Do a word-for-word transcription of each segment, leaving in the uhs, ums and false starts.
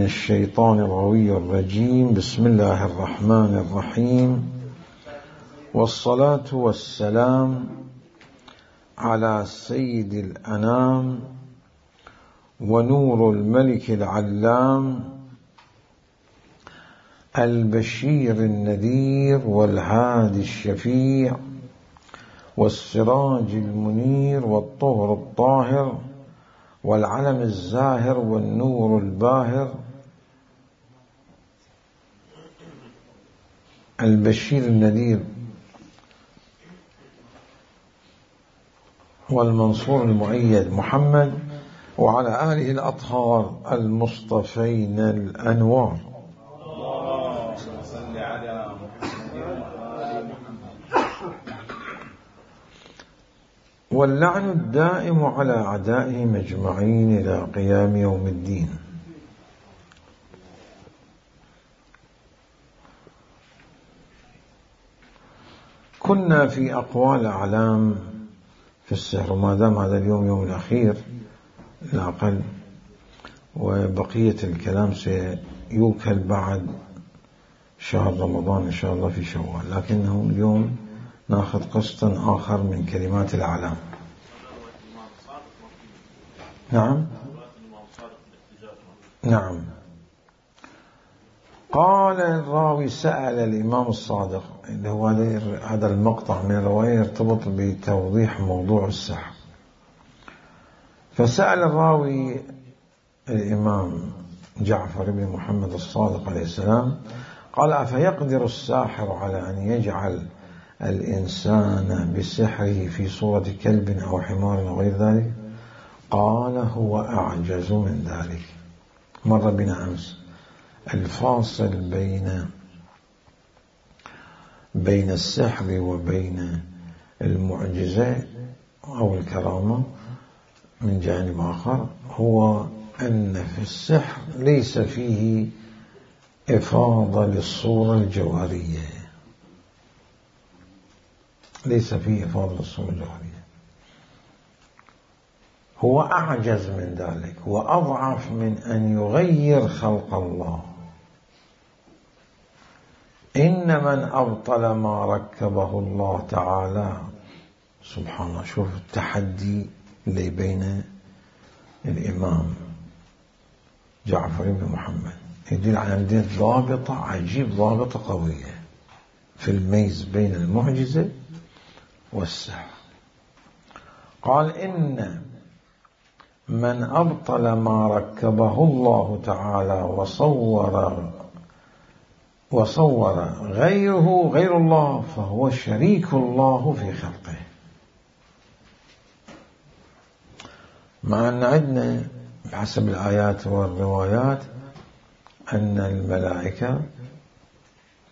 الشيطان الغوي الرجيم. بسم الله الرحمن الرحيم، والصلاة والسلام على سيد الأنام ونور الملك العلام البشير النذير والهادي الشفيع والسراج المنير والطهر الطاهر والعلم الزاهر والنور الباهر، البشير النذير والمنصور المؤيد محمد وعلى آله الأطهار المصطفين الأنوار. واللعن الدائم على أعدائهم أجمعين إلى قيام يوم الدين. كنا في أقوال أعلام في السحر، وما دام هذا اليوم يوم الأخير الأقل، وبقية الكلام سيوكل بعد شهر رمضان إن شاء الله في شوال، لكنه اليوم ناخذ قسطا آخر من كلمات الأعلام. نعم نعم قال الراوي: سأل الإمام الصادق، اللي هو هذا المقطع من الرواية يرتبط بتوضيح موضوع السحر. فسأل الراوي الإمام جعفر بن محمد الصادق عليه السلام قال: أفيقدر الساحر على أن يجعل الإنسان بسحره في صورة كلب أو حمار أو غير ذلك؟ قال: هو أعجز من ذلك. مر بنا أمس الفاصل بين بين السحر وبين المعجزة أو الكرامة من جانب آخر، هو أن في السحر ليس فيه إفاضة للصورة الجوهرية، ليس فيه إفاضة للصورة الجوهرية، هو أعجز من ذلك وأضعف من أن يغير خلق الله. إن من أبطل ما ركبه الله تعالى، سبحان الله، شوف التحدي اللي بين الإمام جعفر بن محمد يدل على أن ضابطة عجيب، ضابطة قوية في الميز بين المعجزة والسحر. قال: إن من أبطل ما ركبه الله تعالى وصور وصور غيره غير الله فهو شريك الله في خلقه. مع أن عندنا بحسب الآيات والروايات أن الملائكة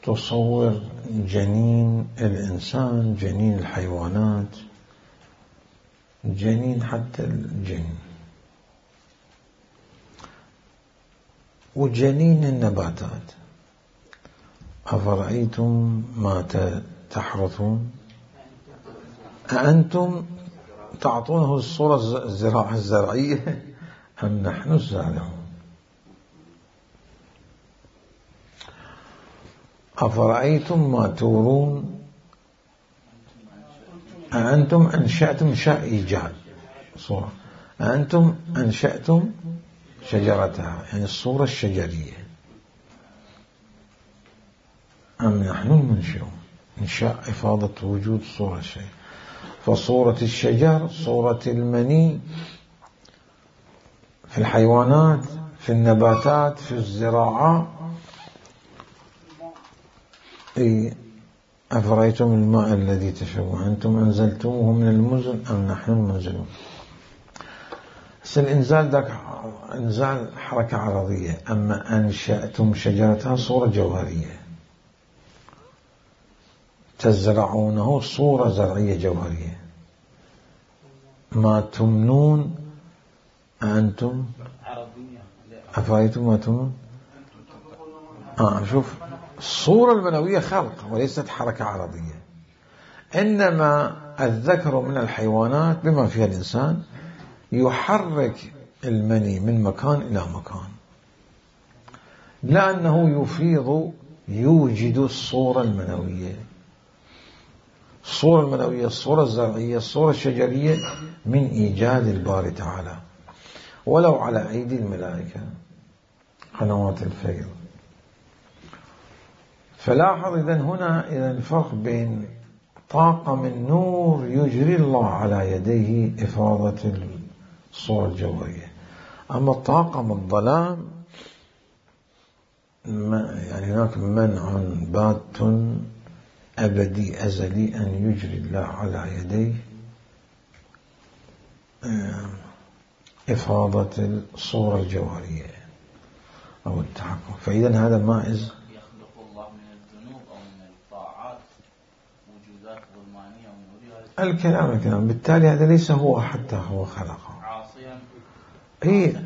تصور جنين الإنسان، جنين الحيوانات، جنين حتى الجن، وجنين النباتات. أفرأيتم ما تحرثون أأنتم تعطونه الصورة الزراعة الزرعية أم نحن الزارعون؟ أفرأيتم ما تورون أأنتم أنشأتم شاء إيجاد صورة، أأنتم أنشأتم شجرتها، يعني الصورة الشجرية، أم نحن المنشئون؟ إنشاء إفاضة وجود صورة شيء، فصورة الشجر، صورة المني في الحيوانات، في النباتات، في الزراعة. أفرأيتم الماء الذي تشربون أنتم أنزلتموه من المزن أم نحن المنزلون؟ بس الإنزال ذاك إنزال حركة عرضية، أما أنشأتم شجرتها صورة جوهرية، تزرعونه صورة زرعية جوهرية. ما تمنون أنتم أفرأيتم ما تمنون. آه شوف، الصورة المنوية خلق وليست حركة عرضية. إنما الذكر من الحيوانات بما فيها الإنسان يحرك المني من مكان إلى مكان، لأنه يفيض يوجد الصورة المنوية. الصورة المنوية، الصورة الزرعية، الصورة الشجرية من إيجاد الباري تعالى ولو على أيدي الملائكة قنوات الفيض. فلاحظ إذن هنا إذن الفرق بين طاقة من نور يجري الله على يديه إفاضة الصورة الجوهرية، أما الطاقة من الظلام يعني هناك منع بات أبدي أزلي أن يجري الله على يديه إفاضة الصورة الجوهرية أو التحكم. فإذا هذا مائز. يخلق الله من الذنوب أو من الطاعات وجودات ظلمانية ونورية. الكلام الكلام بالتالي هذا ليس هو حتى هو خلقه عاصيا. إيه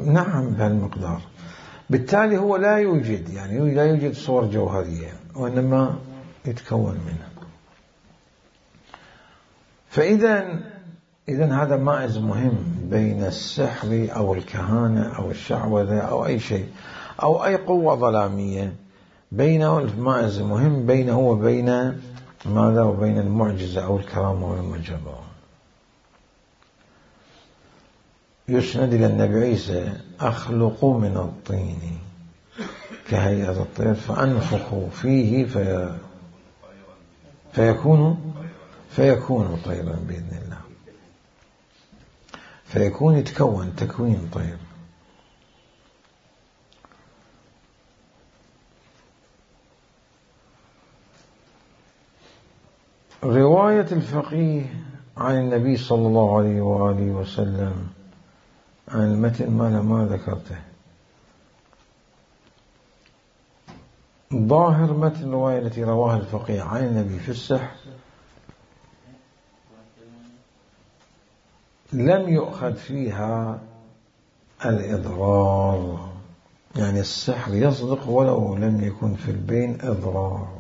نعم بهالمقدار. بالتالي هو لا يوجد يعني لا يوجد صور جوهرية وإنما يتكون منها. فإذا إذن هذا مائز مهم بين السحر أو الكهانة أو الشعوذة أو أي شيء أو أي قوة ظلامية، بينه المائز مهم بينه وبين ماذا وبين المعجزة أو الكرامة والمجرة. يسند إلى النبي عيسى: أخلق من الطين كهيئة الطير فأنفخ فيه في فيكون فيكون طيرا بإذن الله. فيكون يتكون تكوين طير. رواية الفقيه عن النبي صلى الله عليه وآله وسلم عن المتن ما ما ذكرته. ظاهر متن الرواية التي رواها الفقيه عن النبي في السحر لم يؤخذ فيها الإضرار، يعني السحر يصدق ولو لم يكن في البين إضرار.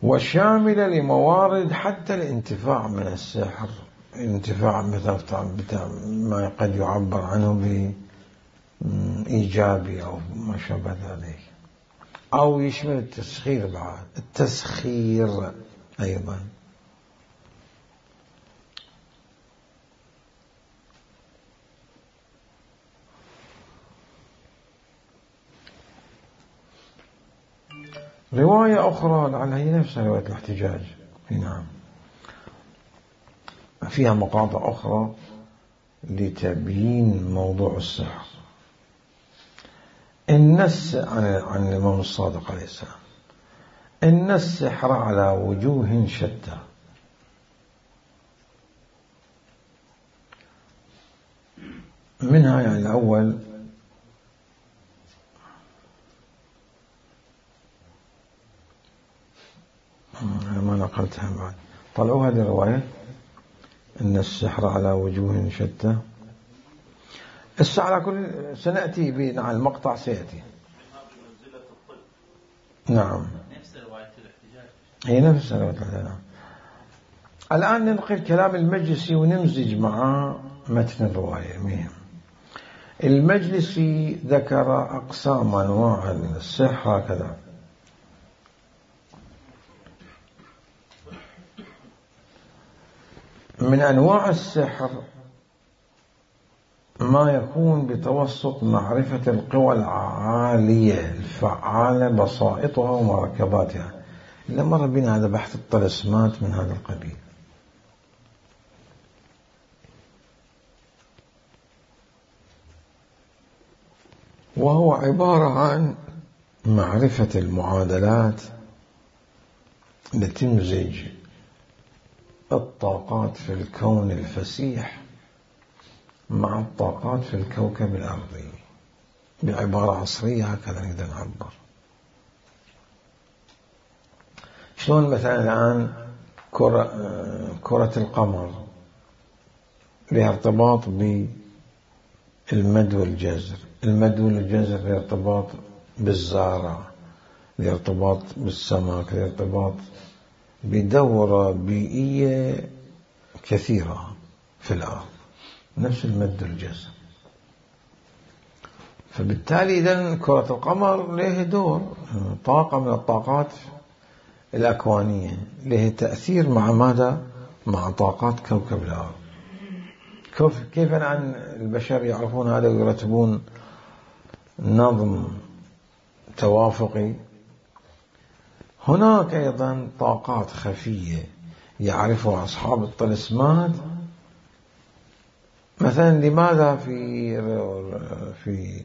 وشاملة لموارد حتى الانتفاع من السحر، الانتفاع بتاع ما قد يعبر عنه بإيجابي أو ما شابه ذلك، أو يشمل التسخير بعد، التسخير أيضا. رواية أخرى لعلها هي نفسها رواية الاحتجاج، نعم، فيها مقاطع أخرى لتبيين موضوع السحر. إن عن عن الإمام الصادق عليه السلام: إن السحر على وجوه شتى. منها يعني الأول ما نقلتها بعد، طلعوا هذه الرواية: إن السحر على وجوه شتى. السحر على كل سنأتي به على المقطع سيأتي. نعم نفس رواية الاحتجاج، هي نفس رواية الاحتجاج. الآن ننقل كلام المجلسي ونمزج مع متن الرواية. مهم. المجلسي ذكر أقسام أنواع السحر هكذا: من أنواع السحر ما يكون بتوسط معرفة القوى العالية الفعالة بسائطها ومركباتها. إلا مر بنا هذا بحث الطلسمات من هذا القبيل. وهو عبارة عن معرفة المعادلات التي تمزج الطاقات في الكون الفسيح مع الطاقات في الكوكب الأرضي. بعبارة عصرية هكذا نقدر نعبر. شلون مثلا الآن كرة, كرة القمر لها ارتباط بالمد والجزر، المد والجزر لها ارتباط بالزارع، لها ارتباط بالسمك، لها ارتباط بدورة بيئية كثيرة في الأرض. نفس المد الجزر. فبالتالي إذن كرة القمر له دور، طاقة من الطاقات الأكوانية، له تأثير مع ماذا؟ مع طاقات كوكب الأرض. كيف أن البشر يعرفون هذا ويرتبون نظم توافقي؟ هناك أيضا طاقات خفية يعرفها أصحاب الطلسمات. مثلا لماذا في في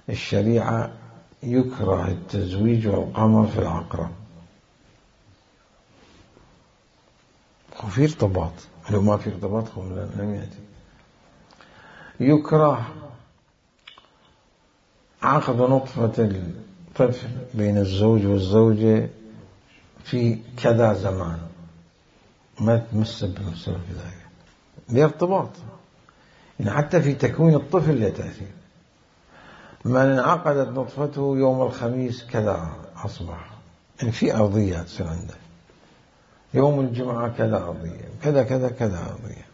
الشريعة يكره التزويج والقمر في العقرب؟ وفي ارتباط، لو ما في ارتباط لم يأتي. يكره عقد نطفة الطفل بين الزوج والزوجة في كذا زمان، ما تمس بنفسه في ذلك لارتباط، يعني حتى في تكوين الطفل له تأثير. من انعقدت نطفته يوم الخميس كذا أصبح، يعني في أرضية تصير عنده، يوم الجمعة كذا أرضية، كذا كذا كذا أرضية،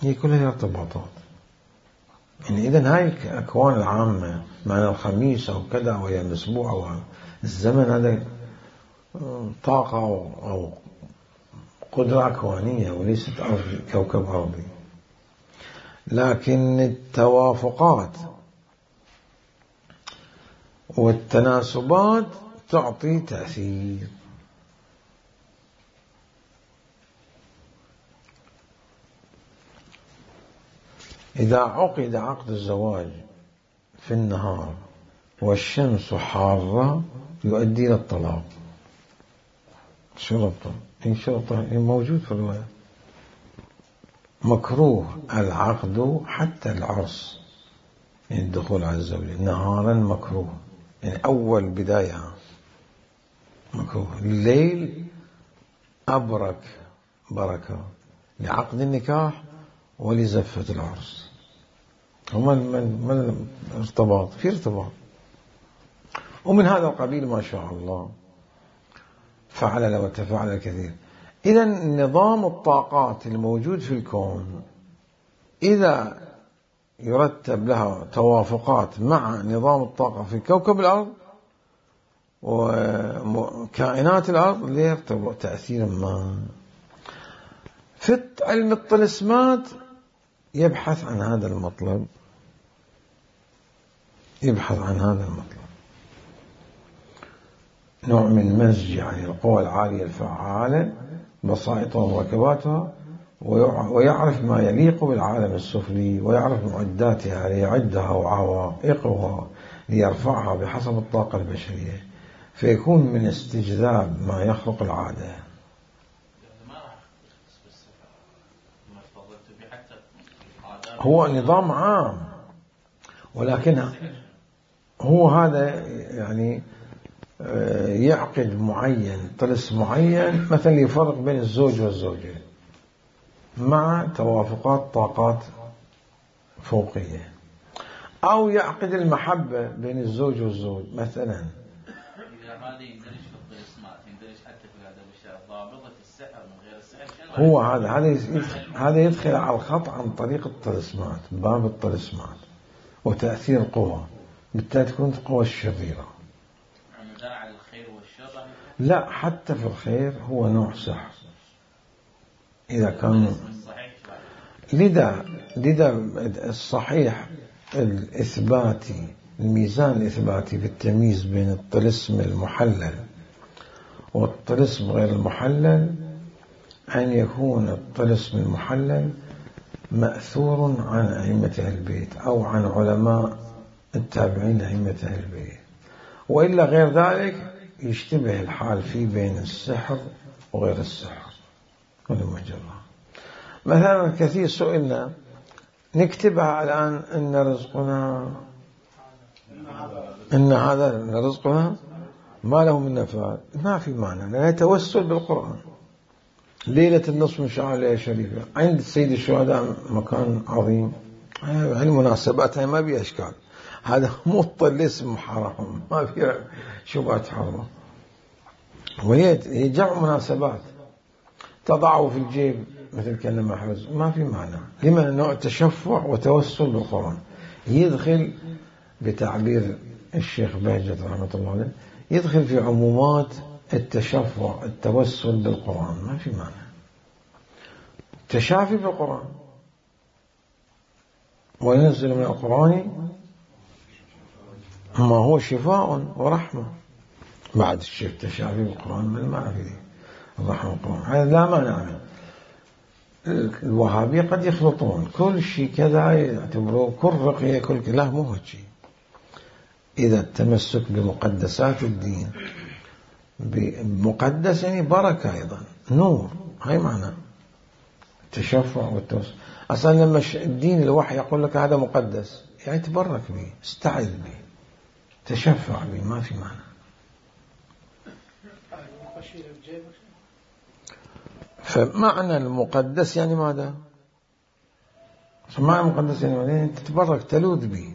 هي كلها ارتباطات. يعني إذن هاي الأكوان العامة، معنى الخميس أو كذا ويا الأسبوع أو الزمن، هذا طاقة أو قدرة أكوانية وليست أرض كوكب أرضي. لكن التوافقات والتناسبات تعطي تأثير. إذا عقد عقد الزواج في النهار والشمس حارة يؤدي إلى الطلاق. شرطه إن شرطه موجود في الرواية. مكروه العقد حتى العرس، يعني الدخول على الزوجة نهارا مكروه، يعني أول بداية مكروه. الليل أبرك بركة لعقد النكاح ولزفة العرس. وما من ارتباط في ارتباط، ومن هذا القبيل ما شاء الله فعل وتفعل الكثير. إذن نظام الطاقات الموجود في الكون إذا يرتب لها توافقات مع نظام الطاقة في كوكب الأرض وكائنات الأرض ليرتبط تأثيرا ما. في علم الطلسمات يبحث عن هذا المطلب، يبحث عن هذا المطلب، نوع من مزج يعني القوى العالية الفعالة بسائطها ومركباتها، ويعرف ما يليق بالعالم السفلي، ويعرف معداتها ليعدها وعوائقها ليرفعها بحسب الطاقة البشرية، فيكون من استجذاب ما يخرق العادة. هو نظام عام، ولكن هو هذا يعني يعقد معين طلس معين مثلا يفرق بين الزوج والزوجة مع توافقات طاقات فوقية، أو يعقد المحبة بين الزوج والزوج مثلا. هذا يندرج في الطلسمات، يندرج حتى في هذا الشيء ضابطة السحر من غير السحر. هو هذا هذا يدخل هذا يدخل على الخط عن طريق الطلسمات، باب الطلسمات وتأثير قوة، بالتالي تكون قوة الشريرة. على الخير والشر؟ لا، حتى في الخير هو نوع سحر إذا كان. لذا لذا الصحيح الإثباتي، الميزان الإثباتي في التمييز بين الطلسم المحلل والطلسم غير المحلل أن يكون الطلسم المحلل مأثور عن أئمة أهل البيت أو عن علماء التابعين لأئمة أهل البيت، وإلا غير ذلك يشتبه الحال فيه بين السحر وغير السحر والمجرة. مثلا كثير سئلنا نكتبها الآن إن رزقنا، إن هذا رزقنا ما له من نفاد، ما في معنى، لا يتوسل بالقرآن. ليلة النصف من شعر ليلة شريفة عند سيد الشهداء مكان عظيم، هاي المناسبات هاي ما بيها أشكال، هذا مو الطلسم حرام، ما في شبهة حرام، وهي جمع مناسبات. تضعه في الجيب مثل كلمة محفوظ ما في معنى. لما نوع تشفع وتوسل بالقرآن يدخل بتعبير الشيخ بهجت رحمة الله عليه يدخل في عمومات التشفع التوسل بالقرآن، ما في معنى. تشافي بالقرآن، وينزل من القرآن ما هو شفاء ورحمة. بعد الشيخ تشافي بالقرآن من ما في الرحمة بالقرآن، هذا لا مانع منه. الوهابية قد يخلطون كل شيء كذا يعتبروه كل رقية كل لا، مو هو شيء. إذا التمسك بمقدسات الدين بمقدس يعني بركة أيضا نور، هاي معنى التشفع والتوسل. أصلا لما الدين الوحي يقول لك هذا مقدس يعني تبرك به، استعذ به، تشفع به، ما في معنى. فمعنى المقدس يعني ماذا؟ معنى المقدس يعني ماذا؟ يعني تتبرك تلوذ به.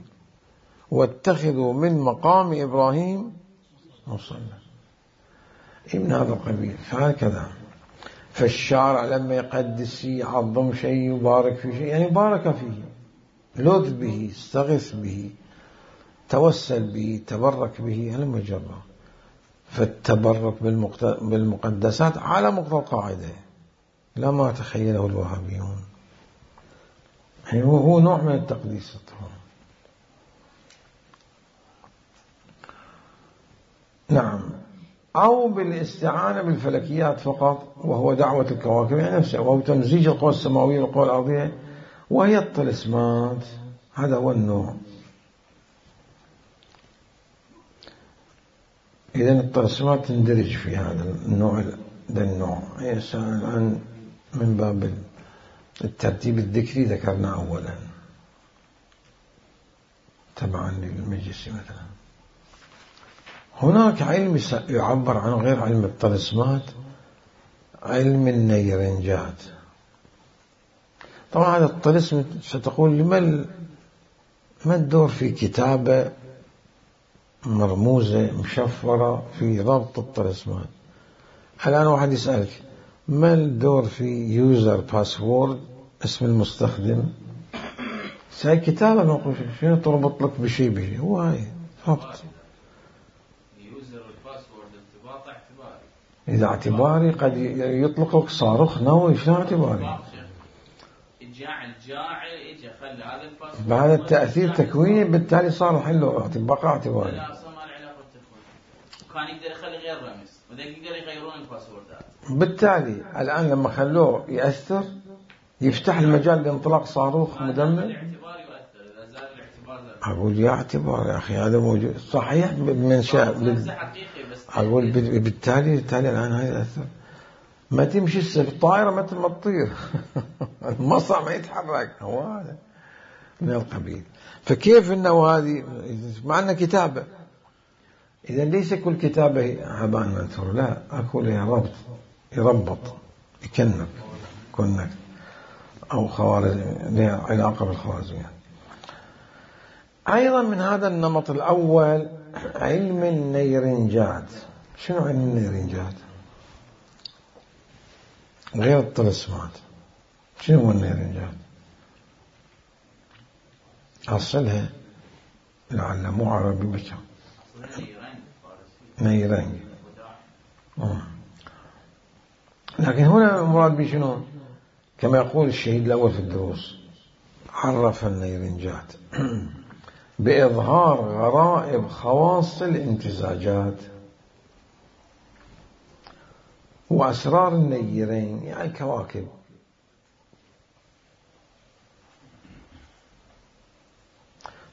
واتخذوا من مقام إبراهيم مصلى، من هذا القبيل. فهكذا فالشارع لما يقدس يعظم شيء يبارك في شيء يعني بارك فيه، لذ به، استغث به، توسل به، تبرك به، هلم جرا. فالتبرك بالمقدسات على مقتضى القاعدة لا ما تخيله الوهابيون، يعني هو نوع من التقديس. نعم. أو بالاستعانة بالفلكيات فقط، وهو دعوة الكواكب يعني نفسه، وهو تمزيج القوى السماوية والقوى الأرضية وهي الطلسمات. هذا هو النوع. إذن الطلسمات تندرج في هذا النوع. ده النوع يسأل عن من باب الترتيب الذكري ذكرنا أولا تبعا للمجلس. مثلا هناك علم يعبر عن غير علم الطلسمات، علم النيرنجات. طبعا هذا الطلسم ستقول لما ما الدور في كتابة مرموزة مشفرة في ربط الطلسمات؟ الآن واحد يسألك ما الدور في يوزر باسورد، اسم المستخدم؟ ساي كتابة نقول شنو تربط لك بشيء بشيء، هو هاي فقط. إذا اعتباري قد يطلق لك صاروخ نووي، شنو اعتباري؟ الجاعل جاعل إجا خلى هذا الباسورد بعد التأثير تكويني، بالتالي صار حله بقى اعتباري. لا أصلا ما له علاقة بالتكوين، كان يقدر يخلي غير رمز وذاك يقدر يغيرون الباسوردات. بالتالي الآن لما خلوه يأثر يفتح المجال لانطلاق صاروخ مدمر. الاعتبار يؤثر، إذا زال الاعتبار لا. أقول يا اعتبار يا أخي هذا موجود صحيح من شاء بال... أقول بالتالي بالتالي الآن هاي يأثر. ما تمشي الطائرة مثل ما تطير المصنع ما يتحرك، هو هذا من القبيل. فكيف إنه هذه معنا كتابة؟ إذا ليس كل كتابة هباء منثور، لا، أقول لها ربط، يربط، يكنك كونك أو خوارز لها علاقة بالخوارزميات. أيضا من هذا النمط الأول علم النيرنجات. شنو علم النيرنجات؟ غير الطلسمات. شنو هو النيرنجات؟ أصلها لعل مو عربي بشر، نيرنج. لكن هنا المراد بشنو؟ كما يقول الشهيد الأول في الدروس، عرف النيرنجات بإظهار غرائب خواص الامتزاجات وأسرار النيرين، يعني الكواكب.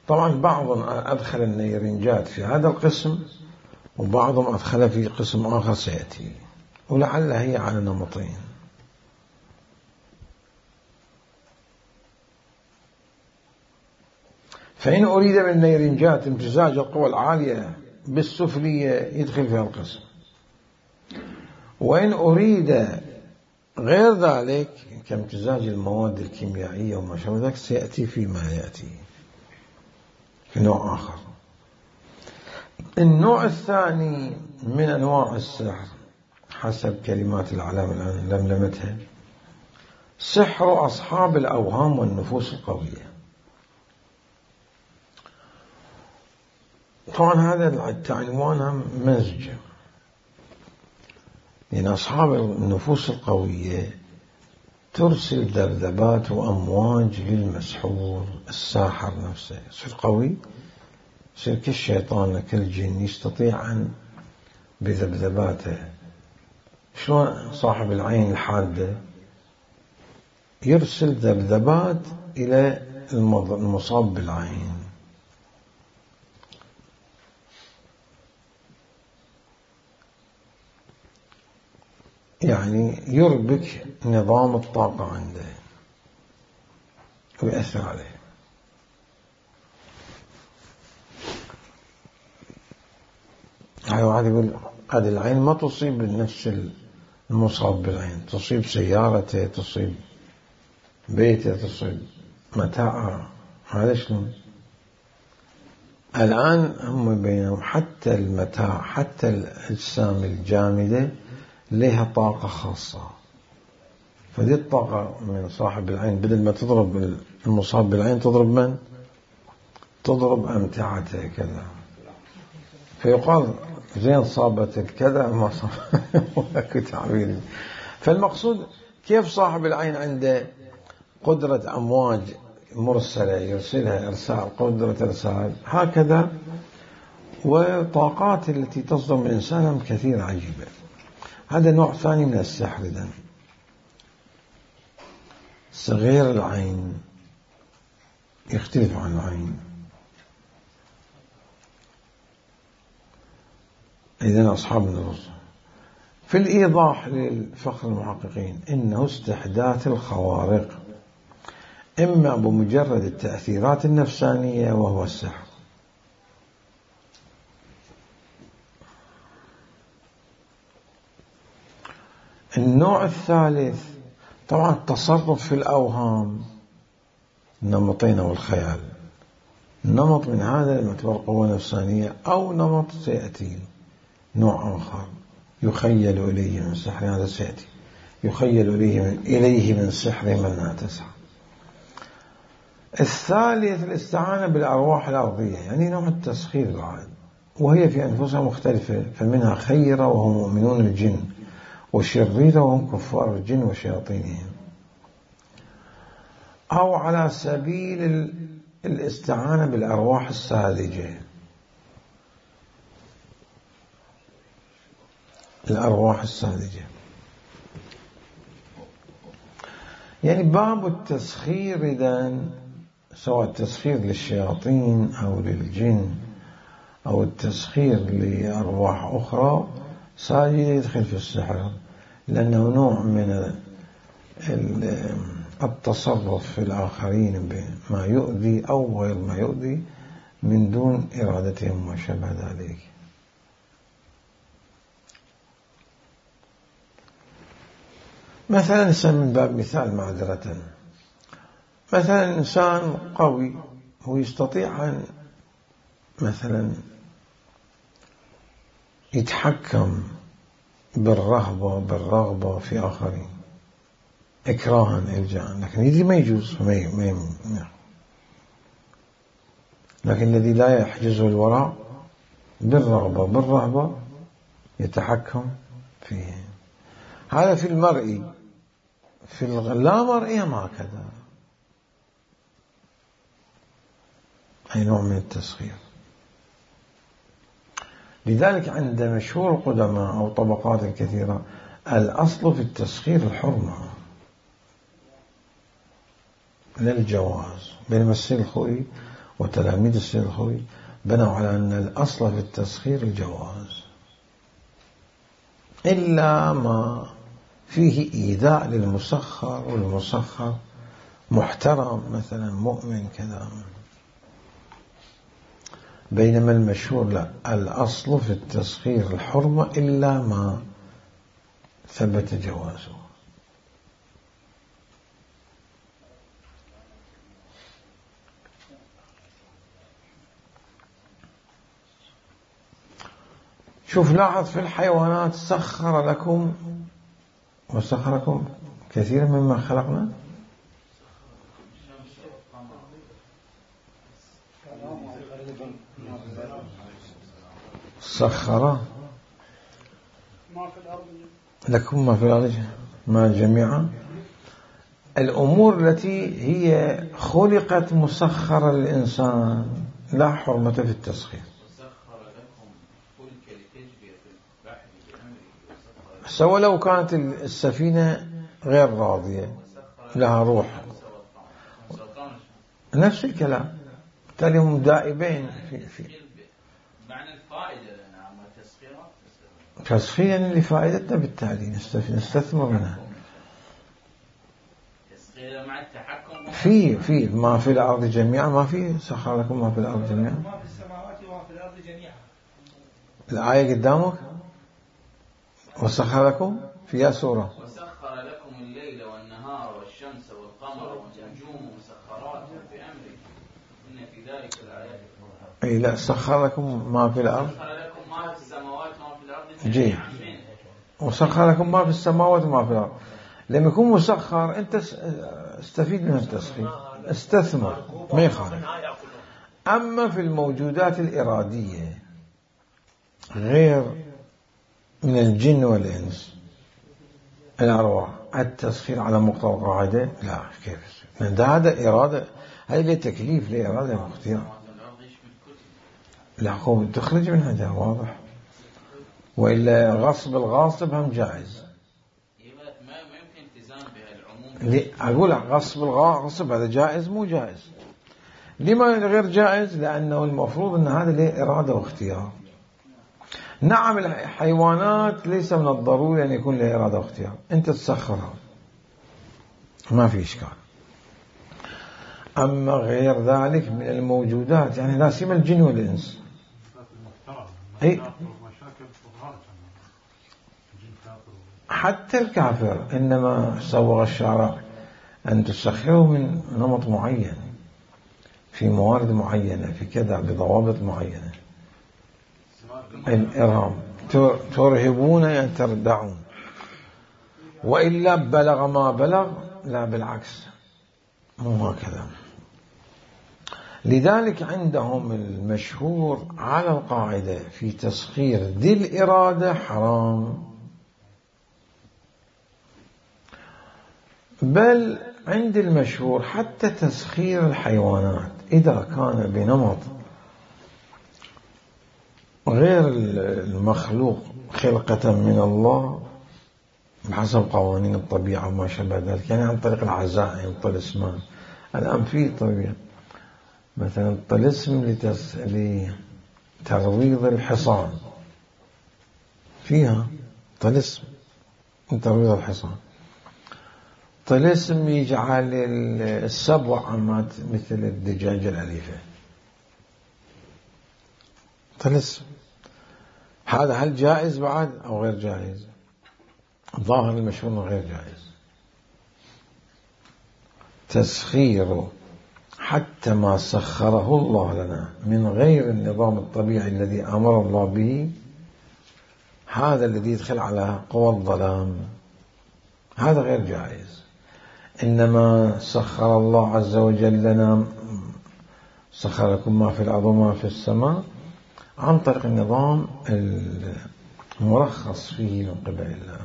طبعا بعضهم أدخل النيرنجات في هذا القسم وبعضهم أدخل في قسم آخر سيأتي، ولعل هي على نمطين. فإن أريد بالنيرنجات امتزاج القوى العالية بالسفلية يدخل في القسم، وإن أريد غير ذلك كامتزاج المواد الكيميائية وما شابه ذلك سيأتي فيما يأتي في نوع آخر. النوع الثاني من أنواع السحر حسب كلمات العلامة الآن لملمتها سحر أصحاب الأوهام والنفوس القوية. طبعا هذا العنوان مزج، لأن أصحاب النفوس القوية ترسل ذبذبات وأمواج للمسحور الساحر نفسه، يصير قوي، يصير كالشيطان كالجن، يستطيع أن بذبذباته. شلون صاحب العين الحادة يرسل ذبذبات إلى المصاب بالعين. يعني يربك نظام الطاقة عنده ويأثر عليه. هاي واحد يقول هذه العين ما تصيب نفس المصاب بالعين، تصيب سيارته، تصيب بيته، تصيب متاعه. هذا شلون؟ الآن هم بينهم حتى المتاع، حتى الأجسام الجامدة لها طاقة خاصة، فدي الطاقة من صاحب العين بدل ما تضرب المصاب بالعين تضرب من؟ تضرب أمتعته كذا، فيقال زين صابتك كذا ما صابتك تعبير. فالمقصود كيف صاحب العين عنده قدرة أمواج مرسلة يرسلها إرسال، قدرة إرسال، هكذا وطاقات التي تصدر من الإنسان كثيرة عجيبة. هذا نوع ثاني من السحر. إذن صغير العين يختلف عن العين. إذن أصحاب النفوس في الإيضاح للفخر المحققين إنه استحداث الخوارق إما بمجرد التأثيرات النفسانية وهو السحر. النوع الثالث طبعا التصرف في الأوهام، النمطين والخيال. نمط من هذا يعتبر قوة نفسانية، أو نمط سيأتي نوع آخر يخيل إليه من سحر، هذا سيأتي يخيل إليه من, إليه من سحر من لا تسحر. الثالث الاستعانة بالأرواح الأرضية، يعني نوع التسخير بعد، وهي في أنفسها مختلفة، فمنها خيرة وهم مؤمنون الجن، وشريرة وهم كفار الجن وشياطينهم. أو على سبيل الاستعانة بالأرواح الساذجة، الأرواح الساذجة، يعني باب التسخير إذن سواء التسخير للشياطين أو للجن أو التسخير لأرواح أخرى ساذجة يدخل في السحر، لأنه نوع من التصرف في الآخرين بما يؤذي أو غير ما يؤذي من دون إرادتهم وشبه ذلك. مثلا من باب مثال معذرة، مثلا إنسان قوي هو يستطيع أن مثلا يتحكم بالرهبة بالرغبة في آخرين إكراها إلجاء، لكن يدري ما يجوز، ما يم... لكن الذي لا يحجزه الوراء بالرغبة بالرهبة يتحكم فيه. هذا في المرئي. في اللا مرئي هكذا، أي نوع من التسخير. لذلك عند مشهور القدماء أو طبقات الكثيرة الأصل في التسخير الحرمة للجواز. بينما السيد الخوئي وتلاميذ السيد الخوئي بنوا على أن الأصل في التسخير الجواز، إلا ما فيه إيذاء للمسخر، والمسخر محترم مثلا مؤمن كذا. بينما المشهور لا، الأصل في التسخير الحرمة إلا ما ثبت جوازه. شوف لاحظ في الحيوانات سخر لكم وسخركم كثيرا مما خلقنا سخر لكم ما في الأرض ما جميعا. الأمور التي هي خلقت مسخرة للإنسان لا حرمة في التسخير. سواء لو كانت السفينة غير راضية لها روح نفس الكلام، بالتالي هم دائبين في في معنى الفائدة نعم تسخيرها تسخير يعني لفائدتنا، بالتالي نستثمر منها. تسخير مع التحكم في في ما في الأرض جميعا، ما في سخر لكم ما في الأرض جميعا، ما في السماوات وما في الأرض جميعا. الآية قدامك وسخر لكم فيها سورة وسخر لكم الليل والنهار والشمس والقمر والنجوم مسخرات في أمره إن في ذلك الآيات. أي لا، سخر لكم ما في الأرض، سخر لكم ما في السماوات وما في الأرض جيد، وسخر لكم ما في السماوات وما في الأرض. لما يكون مسخر أنت استفيد من التسخير، استثمر ما يخالف. أما في الموجودات الإرادية غير من الجن والإنس الأرواح، التسخير على مقتضى القاعدة لا، كيف هذا إرادة، هذا تكليف لإرادة واختيار، لا قوم تخرج من هذا واضح، وإلا غصب الغاصب هم جائز. ما يمكن التزام بهالعموم. أقول غصب الغاصب هذا جائز مو جائز. لما غير جائز؟ لأنه المفروض أن هذا له إرادة واختيار. نعم الحيوانات ليس من الضروري أن يكون له إرادة واختيار، أنت تسخرها ما في إشكال. أما غير ذلك من الموجودات يعني لا سيما الجن والإنس، أي حتى الكافر إنما سوغ الشارع أن تسخره من نمط معين في موارد معينة في كذا بضوابط معينة. الإرهام ترهبون يعني تردعون، وإلا بلغ ما بلغ لا بالعكس مو هكذا. لذلك عندهم المشهور على القاعدة في تسخير ذي الإرادة حرام، بل عند المشهور حتى تسخير الحيوانات إذا كان بنمط غير المخلوق خلقة من الله بحسب قوانين الطبيعة وما شابه ذلك، يعني عن طريق العزائم الطلسمان. الآن في طبيعة مثلا الطلسم لتس... لترويض الحصان، فيها طلسم لترويض الحصان، طلسم يجعل السبع عمات مثل الدجاجة الأليفة، طلسم. هذا هل جائز بعد أو غير جائز؟ ظاهر المشهور غير جائز. تسخير حتى ما سخره الله لنا من غير النظام الطبيعي الذي أمر الله به، هذا الذي يدخل على قوى الظلام، هذا غير جائز. إنما سخر الله عز وجل لنا، سخر لكم ما في الأرض وما في السماء عن طريق النظام المرخص فيه من قبل الله.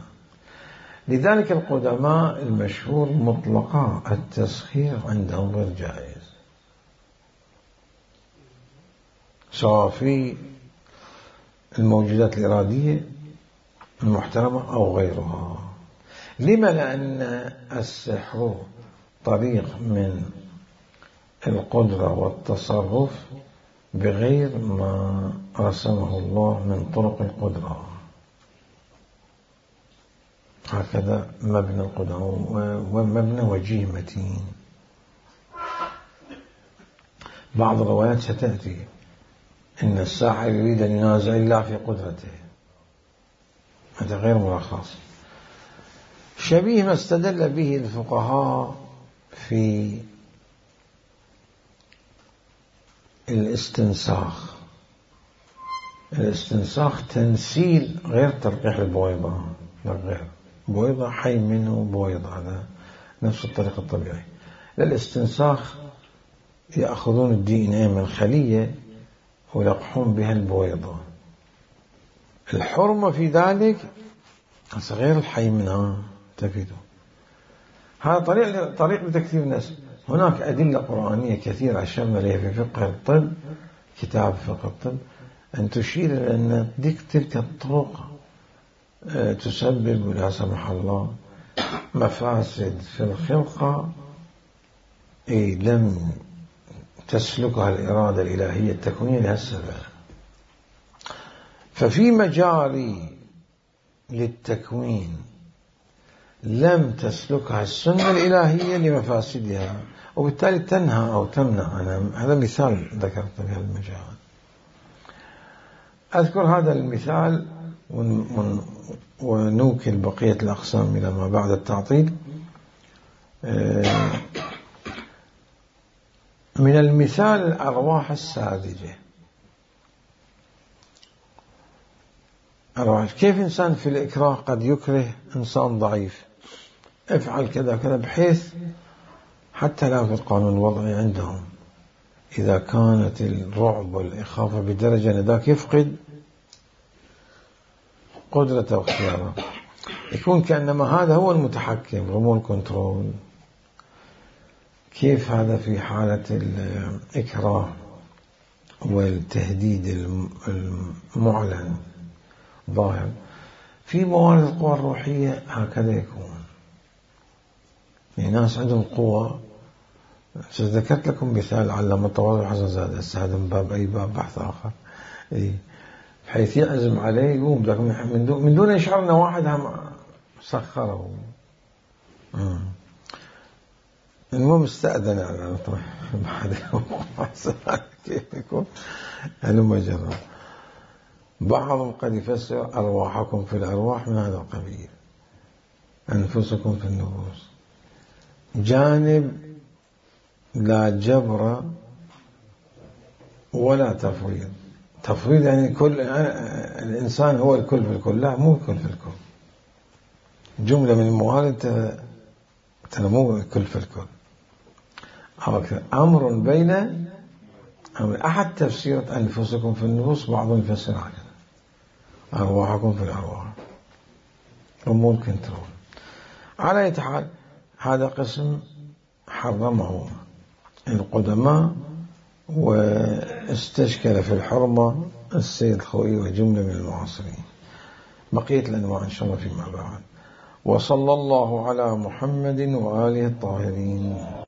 لذلك القدماء المشهور مطلقا التسخير عندهم غير جائز، سواء في الموجودات الإرادية المحترمة أو غيرها. لما؟ لأن السحر طريق من القدرة والتصرف بغير ما رسمه الله من طرق القدرة. هكذا مبنى القدرة، ومبنى وجيه متين. بعض الروايات ستأتي إن الساحر يريد أن ينازع الله في قدرته، هذا غير مرخص، شبيه ما استدل به الفقهاء في الاستنساخ. الاستنساخ تنسيل غير تلقيح البويضة، لا غير بويضة حي منه بويضة، هذا نفس الطريقة الطبيعية. للاستنساخ يأخذون الدي ان اي من خلية ويلقحون بها البويضة. الحرمة في ذلك غير الحي منها، تفيدوا. هذا طريق طريق لتكثير النسل. هناك أدلة قرآنية كثيرة أشرنا إليها في فقه الطب، كتاب فقه الطب، أن تشير إلى أن تلك الطرق تسبب لا سمح الله مفاسد في الخلقة إيه لم تسلكها الإرادة الإلهية التكوينية لهالسبب. ففي مجاري للتكوين لم تسلكها السنة الإلهية لمفاسدها، وبالتالي تنهى أو تمنع. أنا هذا مثال ذكرت في هذا المجال. أذكر هذا المثال ونوكل بقية الأقسام إلى ما بعد التعطيل. من المثال الأرواح الساذجة. أرواح كيف إنسان في الإكراه قد يكره إنسان ضعيف، افعل كذا كذا، بحيث حتى لا في القانون الوضعي عندهم إذا كانت الرعب والإخافة بدرجة أن ذاك يفقد قدرته واختياره، يكون كأنما هذا هو المتحكم، ريموت كنترول. كيف هذا في حالة الإكراه والتهديد المعلن ظاهر؟ في موارد القوى الروحية هكذا يكون. يعني ناس عندهم قوة. ذكرت لكم مثال علم التواضع حسن زاد، هذا من باب أي باب بحث آخر. إيه؟ حيث يعزم عليه يقوم من دون من دون يشعر أن واحد هم سخره. المهم استأذن على بعد كيف يكون هلما جرى. بعضهم قد يفسر أرواحكم في الأرواح من هذا القبيل، أنفسكم في النفوس، جانب لا جبر ولا تفويض. تفويض يعني كل الإنسان هو الكل في الكل، لا مو الكل في الكل. جملة من الموارد تنمو الكل في الكل. أمر بين أمر. أحد تفسير أنفسكم في النفوس بعضهم يفسر هكذا، أرواحكم في الأرواح، أمور كنترول. على أي حال هذا قسم حرمه القدماء، واستشكل في الحرمة السيد الخوئي وجملة من المعاصرين. بقية الأنواع إن شاء الله فيما بعد. وصلى الله على محمد وآله الطاهرين.